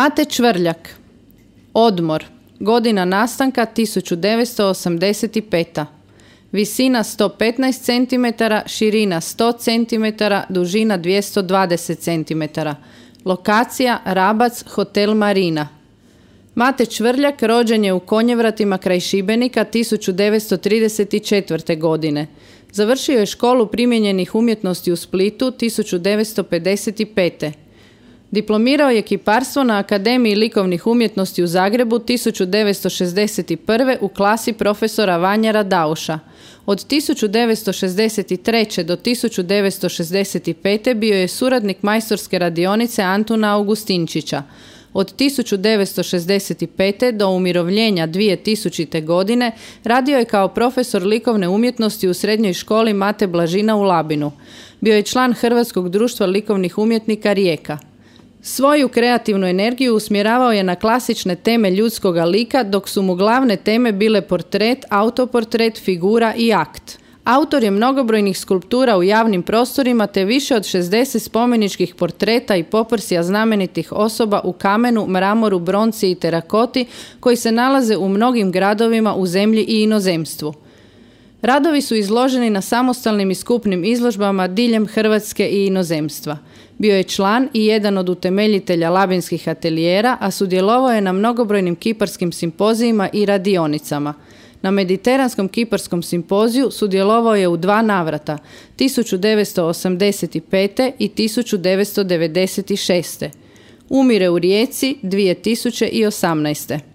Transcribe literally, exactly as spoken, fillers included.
Mate Čvrljak. Odmor. Godina nastanka tisuću devetsto osamdeset peta. Visina sto petnaest centimetara, širina sto centimetara, dužina dvjesto dvadeset centimetara. Lokacija Rabac, hotel Marina. Mate Čvrljak rođen je u Konjevratima kraj Šibenika tisuću devetsto trideset četvrte. godine. Završio je školu primijenjenih umjetnosti u Splitu tisuću devetsto pedeset pete. Diplomirao je kiparstvo na Akademiji likovnih umjetnosti u Zagrebu tisuću devetsto šezdeset prve. u klasi profesora Vanjera Dauša. Od tisuću devetsto šezdeset treće. do tisuću devetsto šezdeset pete. bio je suradnik majstorske radionice Antuna Augustinčića. Od tisuću devetsto šezdeset pete. do umirovljenja dvije tisućite. godine radio je kao profesor likovne umjetnosti u srednjoj školi Mate Blažina u Labinu. Bio je član Hrvatskog društva likovnih umjetnika Rijeka. Svoju kreativnu energiju usmjeravao je na klasične teme ljudskoga lika, dok su mu glavne teme bile portret, autoportret, figura i akt. Autor je mnogobrojnih skulptura u javnim prostorima te više od šezdeset spomeničkih portreta i poprosija znamenitih osoba u kamenu, mramoru, bronci i terakoti koji se nalaze u mnogim gradovima u zemlji i inozemstvu. Radovi su izloženi na samostalnim i skupnim izložbama diljem Hrvatske i inozemstva. Bio je član i jedan od utemeljitelja labinskih atelijera, a sudjelovao je na mnogobrojnim kiparskim simpozijima i radionicama. Na Mediteranskom kiparskom simpoziju sudjelovao je u dva navrata, tisuću devetsto osamdeset pete. i tisuću devetsto devedeset šeste. Umire u Rijeci dvije tisuće osamnaeste.